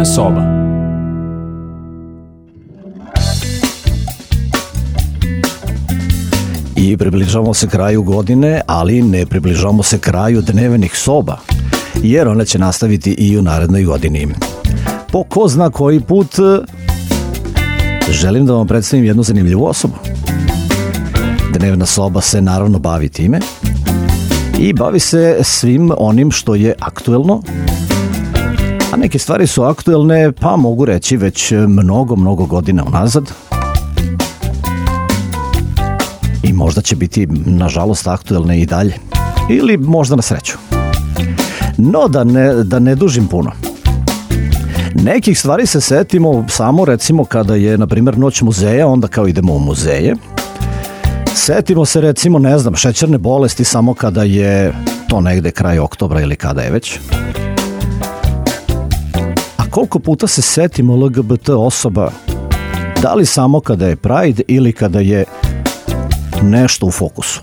Dnevna soba. I približavamo se kraju godine, ali ne približavamo se kraju dnevnih soba, jer one će nastaviti i u narednoj godini. Po ko zna koji put želim da vam predstavim jednu zanimljivu osobu. Dnevna soba se naravno bavi time i bavi se svim onim što je aktuelno, a neke stvari su aktuelne, pa mogu reći već mnogo godina unazad. I možda će biti, nažalost, aktuelne i dalje. Ili možda na sreću. No, da ne dužim puno. Nekih stvari se setimo samo, recimo, kada je, na primjer, Noć muzeja, onda kao idemo u muzeje. Setimo se, recimo, ne znam, šećerne bolesti samo kada je to negde kraj oktobra ili kada je već. A koliko puta se setimo LGBT osoba, da li samo kada je Pride ili kada je nešto u fokusu?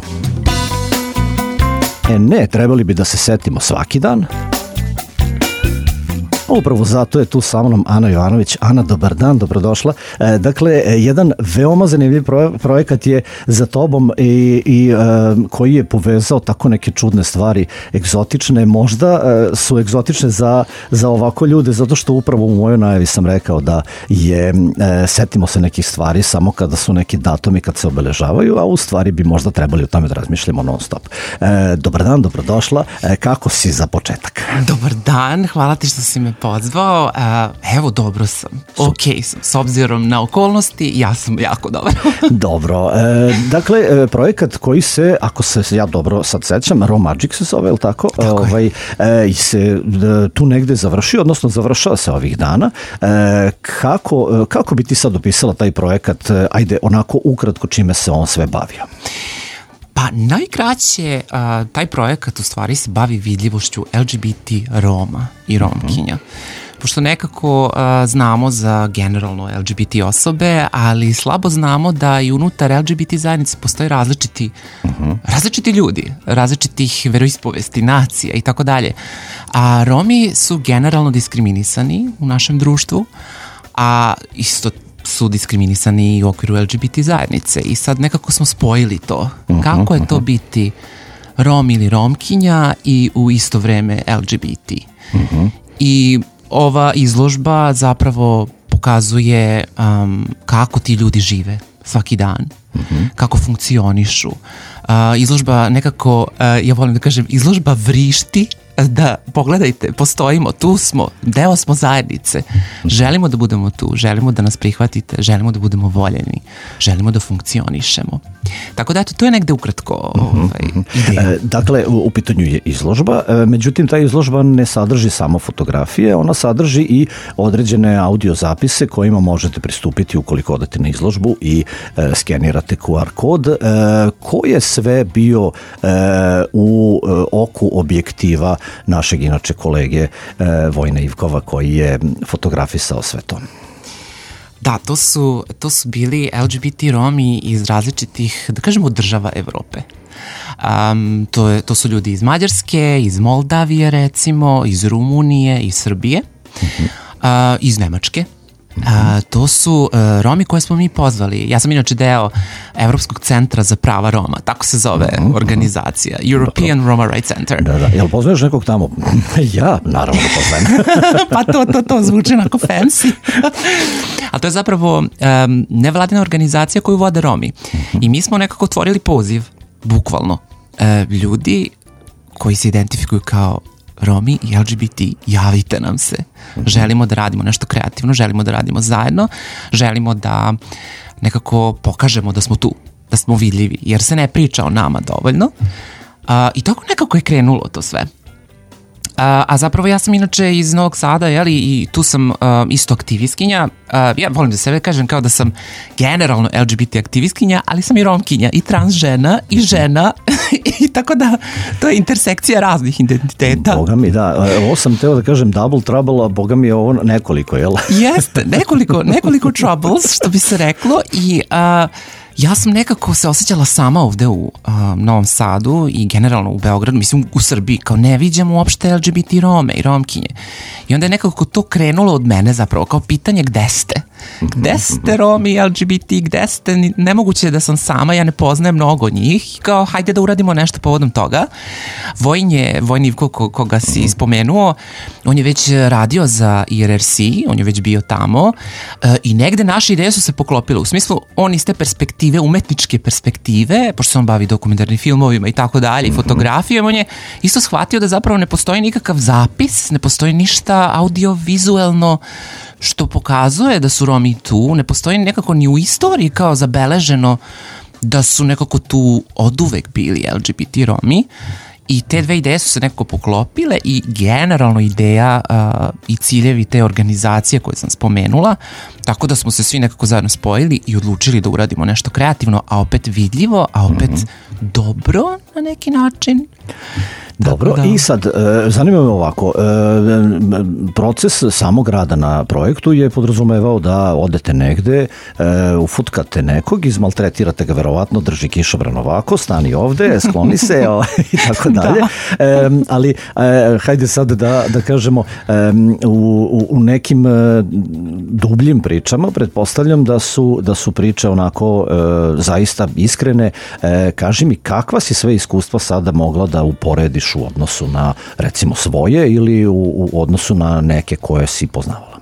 Ne, trebali bi da se setimo svaki dan. Upravo zato je tu sa mnom Ana Jovanović. Ana, dobar dan, dobrodošla. Dakle, jedan veoma zanimljiv projekat je za tobom i koji je povezao tako neke čudne stvari, egzotične. Možda su egzotične za ovako ljude, zato što upravo u mojoj najavi sam rekao da je setimo se nekih stvari samo kada su neki datumi kad se obeležavaju, a u stvari bi možda trebali o tome da razmišljamo non stop. Dobar dan, dobrodošla. Kako si za početak? Dobar dan, hvala ti što si me pozvao. Evo, dobro sam. Ok sam. S obzirom na okolnosti, ja sam jako dobar. Dobro. Dakle, projekat koji se, ako se ja dobro sad sećam, Romagic se zove, ili tako? Se tu negde završio, odnosno završava se ovih dana. Kako bi ti sad opisala taj projekat? Ajde, onako ukratko čime se on sve bavio. Pa najkraće, taj projekat u stvari se bavi vidljivošću LGBT Roma i Romkinja. Pošto nekako znamo za generalno LGBT osobe, ali slabo znamo da i unutar LGBT zajednice postoje različiti ljudi, različitih veroispovesti, nacija i tako dalje. A Romi su generalno diskriminisani u našem društvu, a isto su diskriminisani i u okviru LGBT zajednice i sad nekako smo spojili to. Kako je to biti Rom ili Romkinja i u isto vreme LGBT. I ova izložba zapravo pokazuje kako ti ljudi žive svaki dan, kako funkcionišu. Izložba nekako, ja volim da kažem, izložba vrišti da pogledajte, postojimo, tu smo, deo smo zajednice, želimo da budemo tu, želimo da nas prihvatite, želimo da budemo voljeni, želimo da funkcionišemo. Tako da, eto, to je negde ukratko ideja. Dakle, u pitanju je izložba, međutim, ta izložba ne sadrži samo fotografije, ona sadrži i određene audio zapise kojima možete pristupiti ukoliko odete na izložbu i skenirate QR kod. Ko je sve bio u oku objektiva našeg inače kolege Vojna Ivkova koji je fotografisao sve to? Da, to su bili LGBT Romi iz različitih, da kažemo, država Evrope. To su ljudi iz Mađarske, iz Moldavije recimo, iz Rumunije, iz Srbije, iz Nemačke. To su Romi koje smo mi pozvali. Ja sam inače deo Evropskog centra za prava Roma, tako se zove organizacija, European Roma Rights Center. Da. Jel poznaješ nekog tamo? Ja, naravno da poznajem. Pa to zvuči onako fancy. A to je zapravo nevladina organizacija koju vode Romi. I mi smo nekako otvorili poziv, bukvalno. Ljudi koji se identifikuju kao Romi i LGBT, javite nam se. Želimo da radimo nešto kreativno, želimo da radimo zajedno, želimo da nekako pokažemo da smo tu, da smo vidljivi, jer se ne priča o nama dovoljno. I tako nekako je krenulo to sve. A zapravo ja sam inače iz Novog Sada, i tu sam isto aktivistkinja. Ja volim da sebe kažem kao da sam generalno LGBT aktivistkinja, ali sam i romkinja, i trans žena, i žena, i tako da to je intersekcija raznih identiteta. Boga mi, da. Ovo sam teo da kažem double trouble, a boga mi je ovo nekoliko, jel? Jeste, nekoliko troubles, što bi se reklo, i Ja sam nekako se osjećala sama ovde u Novom Sadu i generalno u Beogradu, mislim u Srbiji, kao ne viđam uopšte LGBT Rome i Romkinje. I onda je nekako to krenulo od mene zapravo, kao pitanje gde ste? Gde ste Romi, LGBT, gde ste? Nemoguće je da sam sama, ja ne poznajem mnogo njih. Kao, hajde da uradimo nešto povodom toga. Vojn Ivko, koga si spomenuo, on je već radio za IRRC, on je već bio tamo i negde naše ideje su se poklopile. U smislu, on iz te perspektive, umetničke perspektive, pošto se on bavi dokumentarnim filmovima i tako dalje, i fotografijom, on je isto shvatio da zapravo ne postoji nikakav zapis, ne postoji ništa audiovizuelno što pokazuje da su Romi tu, ne postoji nekako ni u istoriji kao zabeleženo da su nekako tu oduvek bili LGBT Romi i te dve ideje su se nekako poklopile i generalno ideja i ciljevi te organizacije koje sam spomenula, tako da smo se svi nekako zajedno spojili i odlučili da uradimo nešto kreativno, a opet vidljivo, a opet dobro na neki način. Dobro, da. I sad, zanima me ovako, proces samog rada na projektu je podrazumevao da odete negde, ufutkate nekog, izmaltretirate ga verovatno, drži kišobran ovako, stani ovde, skloni se i tako dalje. Ali, hajde sad da kažemo, u nekim dubljim pričama, pretpostavljam da su priče onako zaista iskrene. Kaži mi, kakva si sve iskustva sada mogla da uporediš u odnosu na, recimo, svoje ili u odnosu na neke koje si poznavala?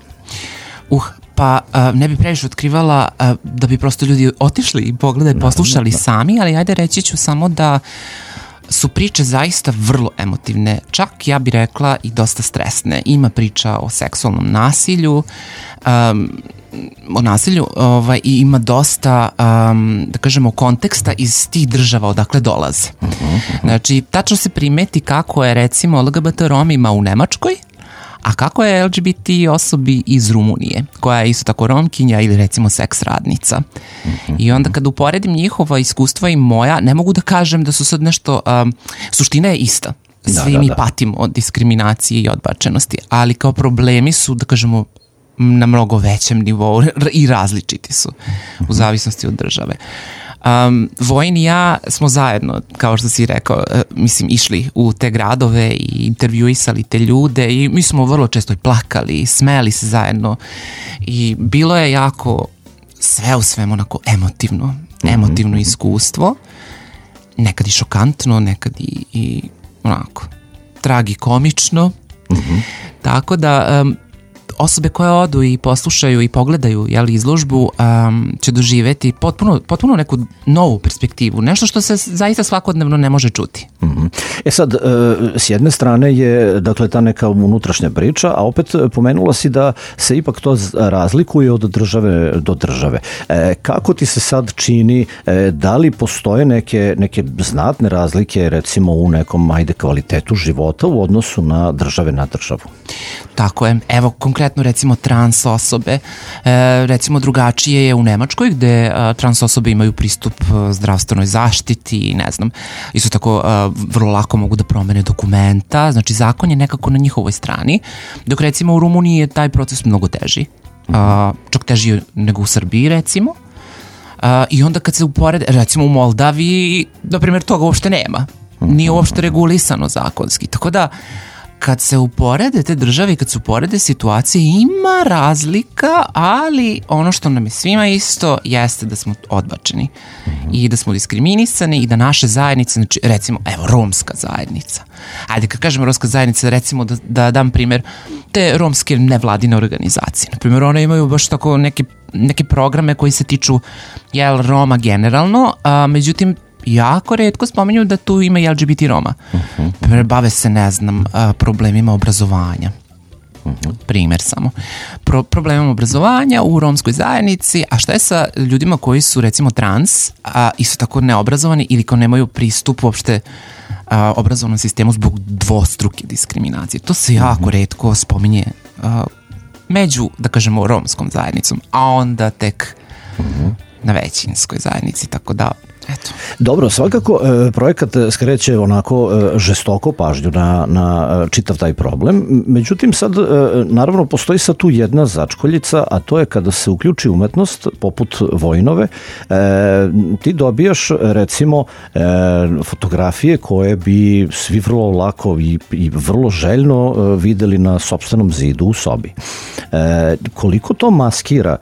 Pa ne bi previše otkrivala da bi prosto ljudi otišli i pogledali, poslušali sami, ali ajde reći ću samo da su priče zaista vrlo emotivne, čak ja bih rekla i dosta stresne. Ima priča o seksualnom nasilju, i ima dosta, da kažemo, konteksta iz tih država odakle dolaze. Znači, tačno se primeti kako je, recimo, LGBT Romima u Nemačkoj, a kako je LGBT osobi iz Rumunije, koja je isto tako Romkinja ili recimo seks radnica. I onda kad uporedim njihova iskustva i moja, ne mogu da kažem da su sad nešto, suština je ista. Svi mi patimo od diskriminacije i odbačenosti, ali kao problemi su, da kažemo, na mnogo većem nivou i različiti su u zavisnosti od države. Vojn i ja smo zajedno, kao što si rekao, išli u te gradove i intervjuisali te ljude i mi smo vrlo često i plakali, smeli se zajedno i bilo je jako sve u svemu onako emotivno iskustvo, nekad i šokantno, nekad i onako tragikomično, tako da osobe koje odu i poslušaju i pogledaju izložbu će doživeti potpuno neku novu perspektivu, nešto što se zaista svakodnevno ne može čuti. Sad, s jedne strane je, dakle, ta neka unutrašnja priča, a opet pomenula si da se ipak to razlikuje od države do države. Kako ti se sad čini, da li postoje neke znatne razlike, recimo u nekom, kvalitetu života u odnosu na države na državu? Tako je. Evo, konkretno recimo trans osobe, recimo drugačije je u Nemačkoj gde trans osobe imaju pristup zdravstvenoj zaštiti, ne znam, isto tako vrlo lako mogu da promene dokumenta, znači zakon je nekako na njihovoj strani, dok recimo u Rumuniji je taj proces mnogo teži, čak teži nego u Srbiji recimo, i onda kad se uporede, recimo u Moldaviji, na primjer, toga uopšte nema, nije uopšte regulisano zakonski, tako da kad se uporede te države i kad se uporede situacije, ima razlika, ali ono što nam je svima isto jeste da smo odbačeni i da smo diskriminisani i da naše zajednice, znači recimo, evo, romska zajednica. Ajde, kad kažem romska zajednica, recimo da dam primjer te romske nevladine organizacije. Na primjer, one imaju baš tako neke programe koji se tiču Roma generalno, međutim, jako retko spominju da tu ima i LGBT Roma. Bave se, ne znam, problemima obrazovanja. Primer samo. Problemima obrazovanja u romskoj zajednici, a šta je sa ljudima koji su recimo trans, a isto tako neobrazovani ili ko nemaju pristup uopšte obrazovnom sistemu zbog dvostruke diskriminacije. To se jako retko spominje među, da kažemo, romskom zajednicom, a onda tek na većinskoj zajednici, tako da Eto. Dobro, svakako projekat skreće onako žestoko pažnju na čitav taj problem. Međutim, sad naravno postoji sad tu jedna začkoljica, a to je kada se uključi umetnost poput Vojnove, ti dobijaš recimo fotografije koje bi svi vrlo lako i vrlo željno videli na sopstvenom zidu u sobi. Koliko to maskira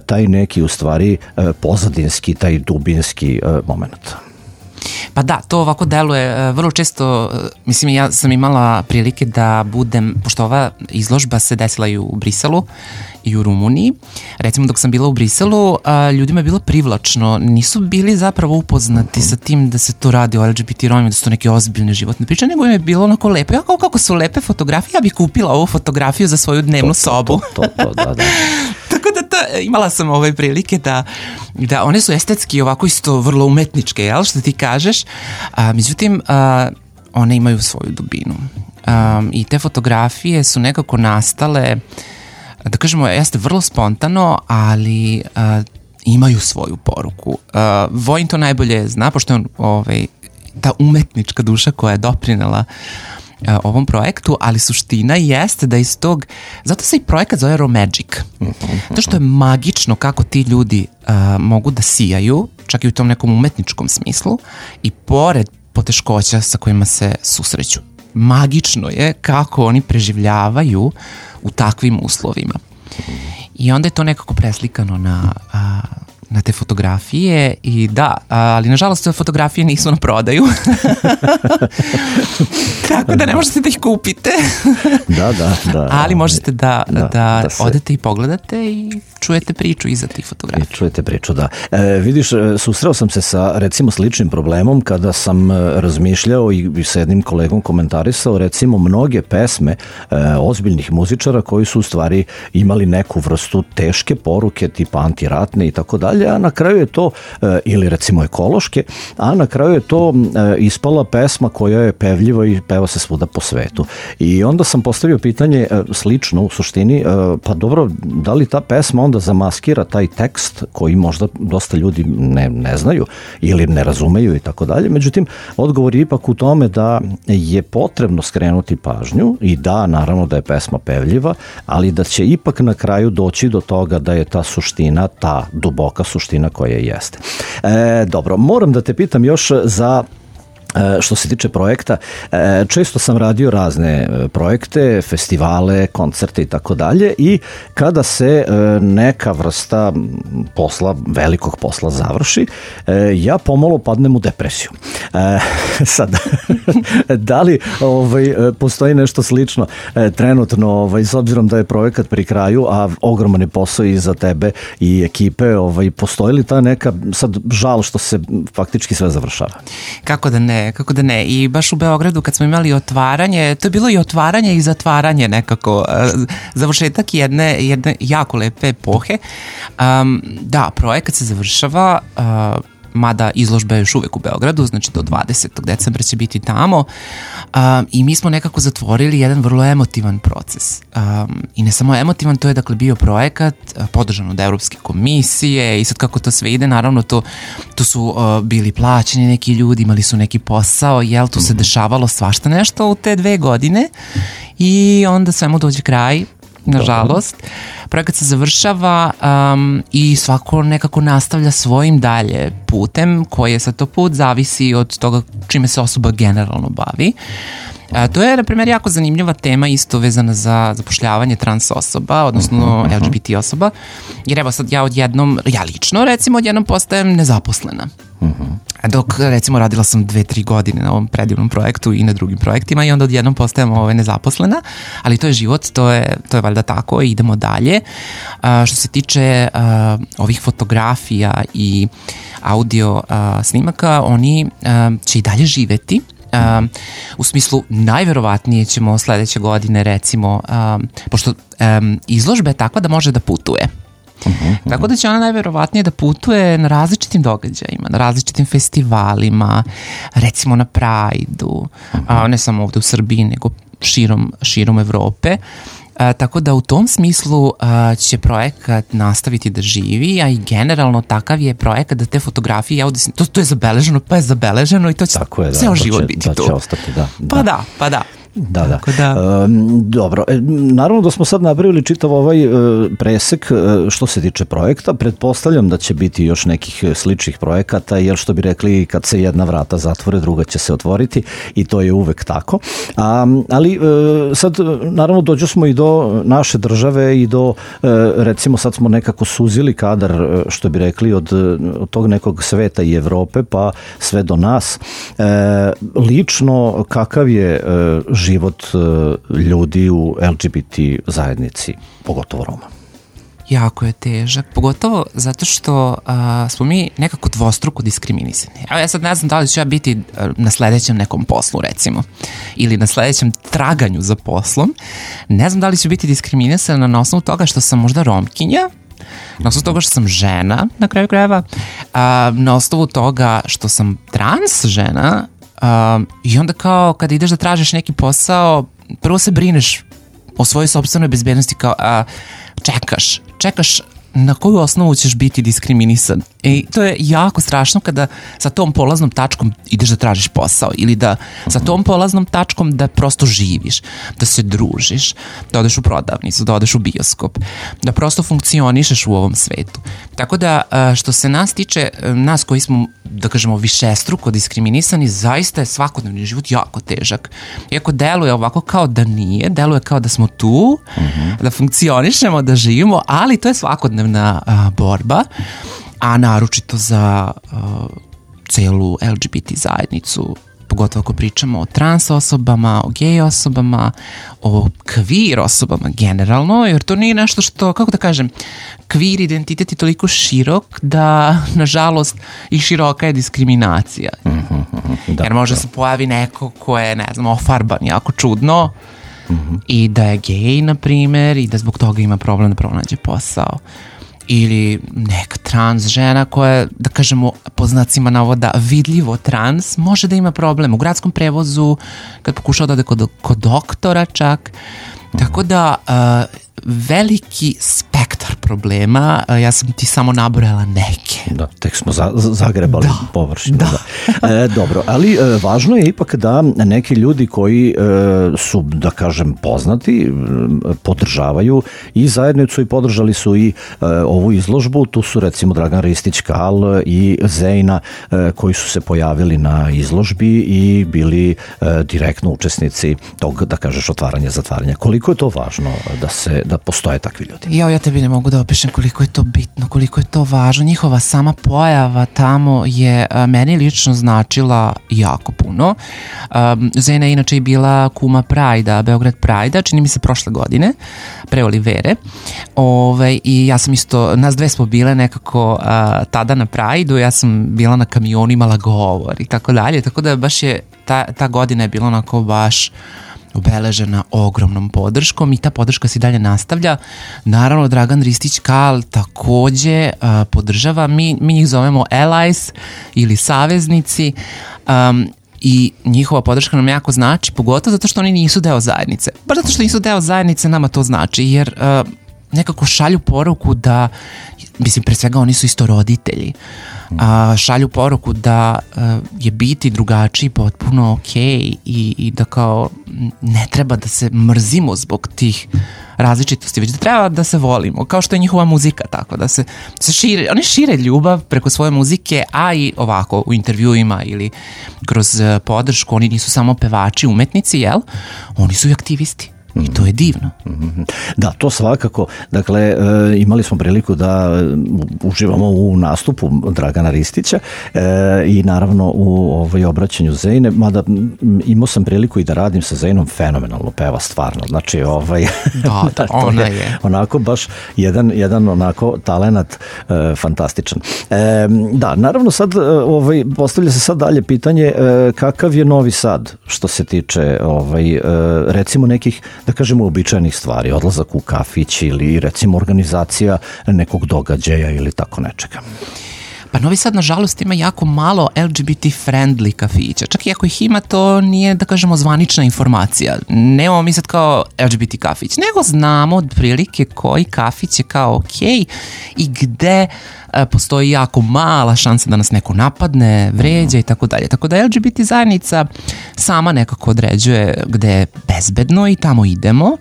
taj neki u stvari pozadinski, taj dubinski moment? Pa da, to ovako deluje vrlo često, mislim ja sam imala prilike da budem, pošto ova izložba se desila i u Briselu i u Rumuniji, recimo dok sam bila u Briselu, ljudima je bilo privlačno, nisu bili zapravo upoznati sa tim da se to radi o LGBT Romima, da su to neke ozbiljne životne priče, nego im je bilo onako lepo, ja kako su lepe fotografije, ja bih kupila ovu fotografiju za svoju dnevnu sobu. Da. Tako da imala sam prilike da one su estetski ovako isto vrlo umetničke, jel, što ti kažeš, međutim one imaju svoju dubinu i te fotografije su nekako nastale, da kažemo, jeste vrlo spontano, ali imaju svoju poruku. Vojin to najbolje zna, pošto je on ta umetnička duša koja je doprinela ovom projektu, ali suština jeste da iz tog, zato se i projekat zove Romagic, to što je magično kako ti ljudi mogu da sijaju, čak i u tom nekom umetničkom smislu, i pored poteškoća sa kojima se susreću. Magično je kako oni preživljavaju u takvim uslovima. I onda je to nekako preslikano na te fotografije i da, ali nažalost te fotografije nisu na prodaju. Tako da ne možete da ih kupite. Da. Ali možete da odete i pogledate i čujete priču iza tih fotografija. I čujete priču, da. Vidiš, susreo sam se sa recimo sličnim problemom kada sam razmišljao i sa jednim kolegom komentarisao recimo mnoge pesme ozbiljnih muzičara koji su u stvari imali neku vrstu teške poruke tipa antiratne i tako dalje, a na kraju je to, ili recimo ekološke, a na kraju je to ispala pesma koja je pevljiva i peva se svuda po svetu. I onda sam postavio pitanje slično u suštini, pa dobro, da li ta pesma onda zamaskira taj tekst koji možda dosta ljudi ne znaju ili ne razumeju i tako dalje. Međutim, odgovor je ipak u tome da je potrebno skrenuti pažnju i da, naravno da je pesma pevljiva, ali da će ipak na kraju doći do toga da je ta suština, ta duboka suština koja jeste. Dobro, moram da te pitam još za što se tiče projekta, često sam radio razne projekte, festivale, koncerte i tako dalje i kada se neka vrsta posla, velikog posla završi, ja pomalo padnem u depresiju. Sad, da li postoji nešto slično trenutno, s obzirom da je projekat pri kraju, a ogroman je posao i za tebe i ekipe, postoji li ta neka sad žal što se faktički sve završava? Kako da ne? I baš u Beogradu kad smo imali otvaranje, to je bilo i otvaranje i zatvaranje nekako, završetak jedne jako lepe epohe. Da, projekat se završava, mada izložba je još uvek u Beogradu, znači do 20. decembra će biti tamo, i mi smo nekako zatvorili jedan vrlo emotivan proces. I ne samo emotivan, to je dakle bio projekat podržan od Evropske komisije i sad kako to sve ide, naravno to su bili plaćeni neki ljudi, imali su neki posao, jel, tu se dešavalo svašta nešto u te 2 godine i onda svemu dođe kraj, nažalost. Projekat se završava i svako nekako nastavlja svojim dalje putem, koji je sad to put, zavisi od toga čime se osoba generalno bavi. To je, na primjer, jako zanimljiva tema isto vezana za zapošljavanje trans osoba, odnosno LGBT osoba, jer evo sad ja lično recimo odjednom postajem nezaposlena. Dok recimo radila sam 2-3 godine na ovom predivnom projektu i na drugim projektima i onda odjednom postajem nezaposlena, ali to je život, to je valjda tako i idemo dalje. Što se tiče ovih fotografija i audio snimaka, oni će i dalje živeti. U smislu najverovatnije ćemo sledeće godine recimo, pošto izložba je takva da može da putuje. Tako da će ona najverovatnije da putuje na različitim događajima, na različitim festivalima, recimo na Pride-u, ne samo ovde u Srbiji, nego širom Evrope. Tako da u tom smislu će projekat nastaviti da živi, a i generalno takav je projekat da te fotografije, to je zabeleženo, pa je zabeleženo i to će ceo život biti tu. To će ostati, da. Pa da. Da. Dobro, naravno da smo sad napravili čitav ovaj presek što se tiče projekta. Pretpostavljam da će biti još nekih sličnih projekata, jer što bi rekli, kad se jedna vrata zatvore, druga će se otvoriti i to je uvek tako. Ali sad naravno dođu smo i do naše države i do, recimo sad smo nekako suzili kadar, što bi rekli, od tog nekog sveta i Evrope pa sve do nas. Lično, kakav je život ljudi u LGBT zajednici, pogotovo Roma? Jako je težak, pogotovo zato što smo mi nekako dvostruko diskriminisani. Evo ja sad ne znam da li ću ja biti na sledećem nekom poslu, recimo, ili na sledećem traganju za poslom. Ne znam da li ću biti diskriminisana na osnovu toga što sam možda Romkinja, na osnovu toga što sam žena, na kraju krajeva, na osnovu toga što sam trans žena, i onda kao kada ideš da tražiš neki posao, prvo se brineš o svojoj sopstvenoj bezbednosti, kao čekaš na koju osnovu ćeš biti diskriminisan. I to je jako strašno kada sa tom polaznom tačkom ideš da tražiš posao ili da sa tom polaznom tačkom da prosto živiš, da se družiš, da odeš u prodavnicu, da odeš u bioskop, da prosto funkcionišeš u ovom svetu. Tako da što se nas tiče, nas koji smo, da kažemo, višestruko diskriminisani, zaista je svakodnevni život jako težak. Iako deluje ovako kao da nije, deluje kao da smo tu, da funkcionišemo, da živimo, ali to je svakodnevna borba, a naročito za celu LGBT zajednicu, pogotovo ako pričamo o trans osobama, o gej osobama, o queer osobama generalno, jer to nije nešto što, kako da kažem, queer identitet je toliko širok da, nažalost, i široka je diskriminacija. Jer može se pojavi neko ko je, ne znam, ofarban jako čudno i da je gej, na primer, i da zbog toga ima problem da pronađe posao. Ili neka trans žena koja, da kažemo, po znacima navoda vidljivo trans, može da ima problem u gradskom prevozu, kad pokušao da ode kod doktora čak. Tako da veliki spektar problema, ja sam ti samo nabrojala neke. Da, tek smo zagrebali površinu. Dobro, ali važno je ipak da neki ljudi koji su, da kažem, poznati, podržavaju i zajednicu i podržali su i ovu izložbu. Tu su recimo Dragan Ristić Kal i Zejna koji su se pojavili na izložbi i bili direktno učesnici tog, da kažeš, otvaranja, zatvaranja. Koliko je to važno da postoje takvi ljudi? Ja tebi ne mogu da opišem koliko je to bitno, koliko je to važno. Njihova sama pojava tamo je meni lično značila jako puno. Zena je inače i bila kuma Prajda, Beograd Prajda, čini mi se prošle godine, pre Olivere. I ja sam isto, nas dve smo bile nekako tada na Prajdu, ja sam bila na kamionu, imala govor i tako dalje, tako da baš je ta godina je bila onako baš obeležena ogromnom podrškom i ta podrška se dalje nastavlja. Naravno, Dragan Ristić Kal takođe podržava, mi njih zovemo allies ili saveznici, i njihova podrška nam jako znači, pogotovo zato što oni nisu deo zajednice. Baš zato što nisu deo zajednice nama to znači, jer nekako šalju poruku da, mislim, pre svega oni su isto roditelji, šalju poruku da je biti drugačiji potpuno okej i da kao ne treba da se mrzimo zbog tih različitosti, već da treba da se volimo, kao što je njihova muzika, tako da se šire, oni šire ljubav preko svoje muzike, a i ovako u intervjuima ili kroz podršku, oni nisu samo pevači, umetnici, jel? Oni su i aktivisti. I to je divno. Da, to svakako. Dakle, imali smo priliku da uživamo u nastupu Dragana Ristića i naravno u obraćanju Zejne, mada imao sam priliku i da radim sa Zejnom, fenomenalno peva, stvarno. Znači, da, ona je onako baš jedan onako talenat fantastičan. Da, naravno sad postavlja se sad dalje pitanje kakav je Novi Sad što se tiče recimo nekih, da kažemo, uobičajenih stvari, odlazak u kafić ili recimo organizacija nekog događaja ili tako nečega. Pa Novi Sad, nažalost, ima jako malo LGBT friendly kafića. Čak i ako ih ima, to nije, da kažemo, zvanična informacija. Nemamo mi sad kao LGBT kafić, nego znamo otprilike koji kafić je kao okej i gde postoji jako mala šansa da nas neko napadne, vređa i tako dalje. Tako da LGBT zajednica sama nekako određuje gde je bezbedno i tamo idemo.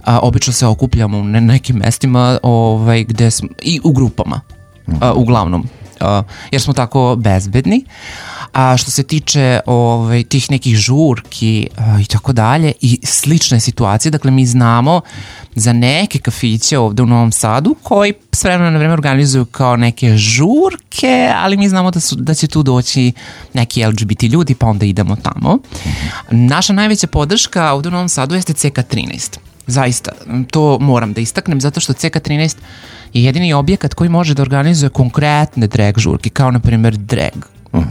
Obično se okupljamo na nekim mestima gde smo, i u grupama, uglavnom, jer smo tako bezbedni. A što se tiče tih nekih žurki i tako dalje i slične situacije, dakle mi znamo za neke kafiće ovde u Novom Sadu koji s vremena na vreme organizuju kao neke žurke, ali mi znamo da će tu doći neki LGBT ljudi, pa onda idemo tamo. Naša najveća podrška ovde u Novom Sadu jeste CK13. Zaista, to moram da istaknem, zato što CK13 je jedini objekat koji može da organizuje konkretne drag žurke, kao na primjer drag.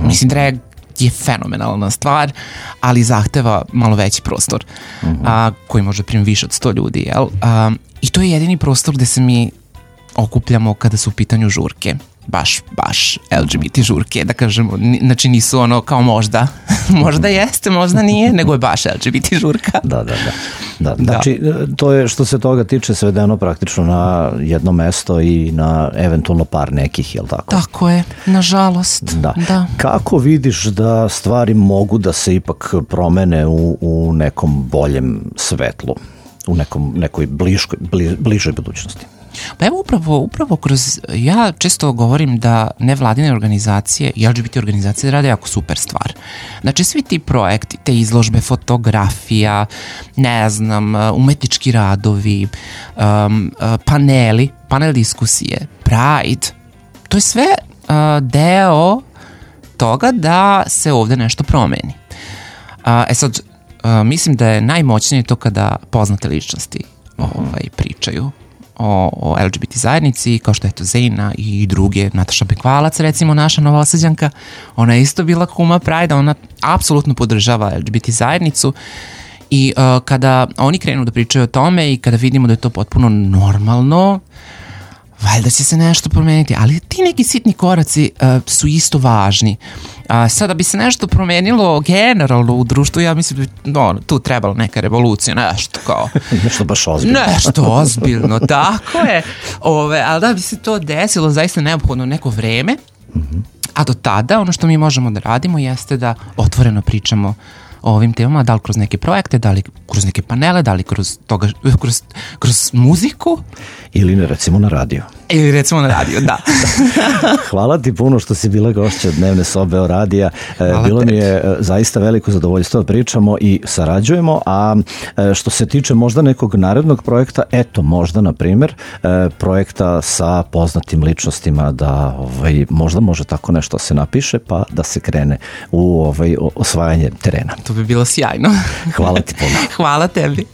Mislim, drag je fenomenalna stvar, ali zahteva malo veći prostor, koji može primiti više od 100 ljudi, jel? I to je jedini prostor gde se mi okupljamo kada su u pitanju žurke. Baš LGBT žurke, da kažemo, znači nisu ono kao možda jeste, možda nije, nego je baš LGBT žurka. Da. Znači, to je što se toga tiče svedeno praktično na jedno mesto i na eventualno par nekih, jel tako? Tako je, nažalost. Da. Kako vidiš da stvari mogu da se ipak promene u nekom boljem svetlu, u nekoj bližoj budućnosti? Pa evo upravo kroz, ja često govorim da nevladine organizacije i LGBT organizacije rade jako super stvar. Znači svi ti projekti, te izložbe, fotografija, ne znam, umetnički radovi, panel diskusije, Pride, to je sve deo toga da se ovde nešto promeni. Sad, mislim da je najmoćnije to kada poznate ličnosti pričaju o LGBT zajednici, kao što je to Zejna i druge, Nataša Bekvalac, recimo naša Novosađanka, ona je isto bila kuma Pride, ona apsolutno podržava LGBT zajednicu i kada oni krenu da pričaju o tome i kada vidimo da je to potpuno normalno, valjda će se nešto promeniti, ali ti neki sitni koraci su isto važni. Sada bi se nešto promenilo generalno u društvu, ja mislim da tu trebalo neka revolucija, nešto kao... nešto baš ozbiljno. Nešto ozbiljno, tako je. Ali da bi se to desilo, zaista neophodno neko vreme, a do tada ono što mi možemo da radimo jeste da otvoreno pričamo o ovim temama, da li kroz neke projekte, da li kroz neke panele, da li kroz muziku. Ili recimo na radio. Da. Hvala ti puno što si bila gošća Dnevne sobe o radija. Bilo mi je zaista veliko zadovoljstvo da pričamo i sarađujemo, a što se tiče možda nekog narednog projekta, eto možda na primjer projekta sa poznatim ličnostima da možda može tako nešto se napiše pa da se krene u osvajanje terena. To bi bilo sjajno. Hvala ti puno. Hvala tebi.